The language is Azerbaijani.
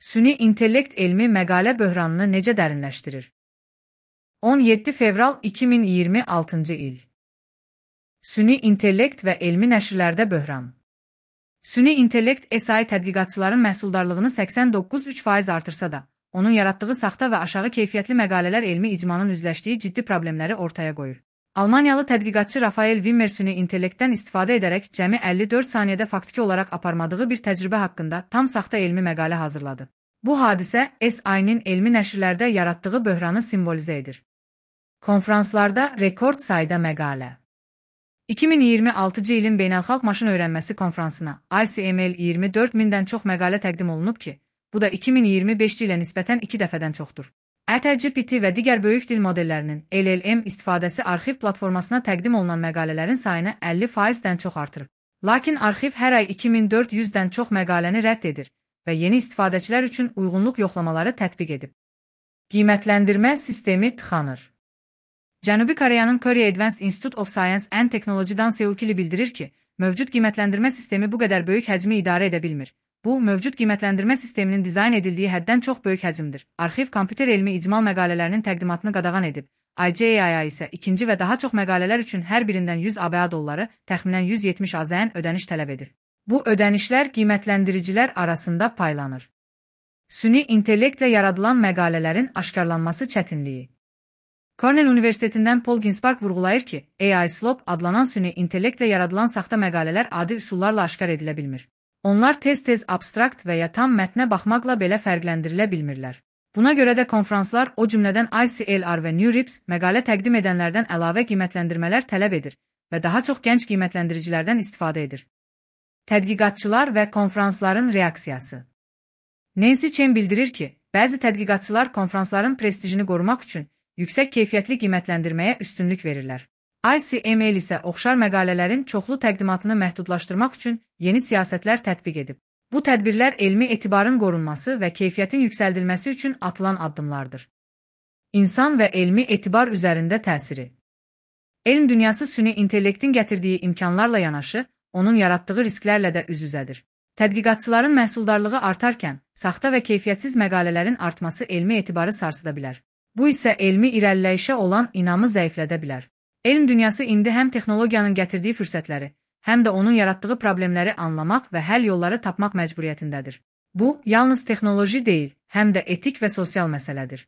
Süni intellekt elmi məqalə böhranını necə dərinləşdirir? 17 fevral 2026-cı il. Süni intellekt və elmi nəşrlərdə böhran. Süni intellekt SI tədqiqatçıların məhsuldarlığını 89,3% artırsa da, onun yaratdığı saxta və aşağı keyfiyyətli məqalələr elmi icmanın üzləşdiyi ciddi problemləri ortaya qoyur. Almaniyalı tədqiqatçı Rafael Wimmer süni intellektdən istifadə edərək cəmi 54 saniyədə faktiki olaraq aparmadığı bir təcrübə haqqında tam saxta elmi məqalə hazırladı. Bu hadisə SI-nin elmi nəşrlərdə yaratdığı böhranı simvolizə edir. Konfranslarda rekord sayda məqalə. 2026-cı ilin Beynəlxalq Maşın Öyrənməsi Konfransına ICML 24 mindən çox məqalə təqdim olunub ki, bu da 2025-ci ilə nisbətən 2 dəfədən çoxdur. GPT və digər böyük dil modellərinin LLM istifadəsi arxiv platformasına təqdim olunan məqalələrin sayını 50%-dən çox artırıb. Lakin arxiv hər ay 2400-dən çox məqaləni rədd edir və yeni istifadəçilər üçün uyğunluq yoxlamaları tətbiq edib. Qiymətləndirmə sistemi tıxanır. Cənubi Koreyanın Korea Advanced Institute of Science and Technology-dan Seul Kili bildirir ki, mövcud qiymətləndirmə sistemi bu qədər böyük həcmi idarə edə bilmir. Bu, mövcud qiymətləndirmə sisteminin dizayn edildiyi həddən çox böyük həcmdir. Arxiv kompüter elmi icmal məqalələrinin təqdimatını qadağan edib. IJAI isə ikinci və daha çox məqalələr üçün hər birindən 100 ABA dolları, təxminən 170 AZN ödəniş tələb edir. Bu ödənişlər qiymətləndiricilər arasında paylanır. Süni intellektlə yaradılan məqalələrin aşkarlanması çətinliyi. Cornell Universitetindən Paul Ginsparg vurğulayır ki, AI Slope adlanan süni intellektlə yaradılan saxta məqalələr adi üsullarla aşkar edilə bilmir. Onlar tez-tez abstrakt və ya tam mətnə baxmaqla belə fərqləndirilə bilmirlər. Buna görə də konfranslar, o cümlədən ICLR və NeurIPS məqalə təqdim edənlərdən əlavə qiymətləndirmələr tələb edir və daha çox gənc qiymətləndiricilərdən istifadə edir. Tədqiqatçılar və konfransların reaksiyası. Nancy Chen bildirir ki, bəzi tədqiqatçılar konfransların prestijini qorumaq üçün yüksək keyfiyyətli qiymətləndirməyə üstünlük verirlər. ICML isə oxşar məqalələrin çoxlu təqdimatını məhdudlaşdırmaq üçün yeni siyasətlər tətbiq edib. Bu tədbirlər elmi etibarın qorunması və keyfiyyətin yüksəldilməsi üçün atılan addımlardır. İnsan və elmi etibar üzərində təsiri. Elm dünyası süni intellektin gətirdiyi imkanlarla yanaşı, onun yaratdığı risklərlə də üz-üzədir. Tədqiqatçıların məhsuldarlığı artarkən, saxta və keyfiyyətsiz məqalələrin artması elmi etibarı sarsıda bilər. Bu isə elmi irəliləyişə olan inamı zəiflədə bilər. Elm dünyası indi həm texnologiyanın gətirdiyi fürsətləri, həm də onun yaratdığı problemləri anlamaq və həll yolları tapmaq məcburiyyətindədir. Bu, yalnız texnoloji deyil, həm də etik və sosial məsələdir.